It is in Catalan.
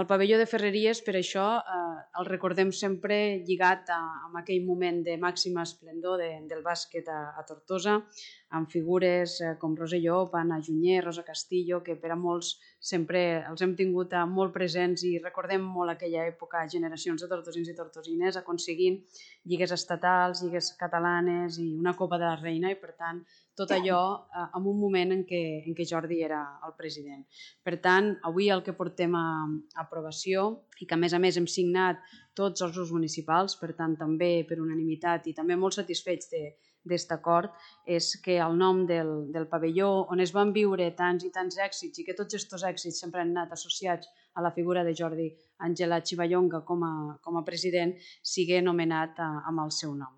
El pavelló de Ferreries, per això, el recordem sempre lligat a aquell moment de màxima esplendor del bàsquet a Tortosa, amb figures com Rosselló, Anna Junyer, Rosa Castillo, que per a molts sempre els hem tingut molt presents i recordem molt aquella època, generacions de tortosins i tortosines aconseguint lligues estatals, lligues catalanes i una Copa de la Reina, i per tant tot allò en un moment en què Jordi era el president. Per tant, avui el que portem a aprovació i que a més hem signat tots els grups municipals, per tant també per unanimitat i també molt satisfets d'aquest acord, és que el nom del pavelló on es van viure tants i tants èxits i que tots aquests èxits sempre han anat associats a la figura de Jordi Angela Chivallonga com a president, sigui nomenat amb el seu nom.